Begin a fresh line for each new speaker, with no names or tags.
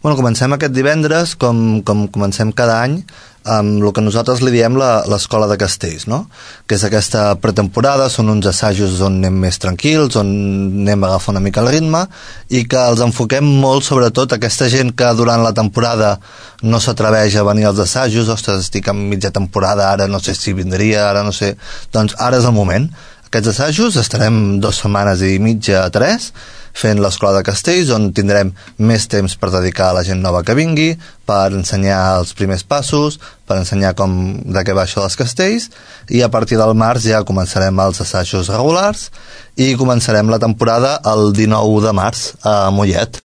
Bueno, comencem aquest divendres, com comencem cada any, amb el que nosaltres li diem l'escola de castells, no? Que és aquesta pretemporada, són uns assajos on anem més tranquils, on anem a agafar una mica el ritme, i que els enfoquem molt, sobretot, aquesta gent que durant la temporada no s'atreveix a venir als assajos, ostres, estic en mitja temporada, ara no sé si vindria, ara no sé... Doncs ara és el moment. Aquests assajos estarem 2 setmanes i mitja a 3, fent l'escola de castells, on tindrem més temps per dedicar a la gent nova que vingui, per ensenyar els primers passos, per ensenyar de què va això dels castells, i a partir del març ja començarem els assajos regulars i començarem la temporada el 19 de març a Mollet.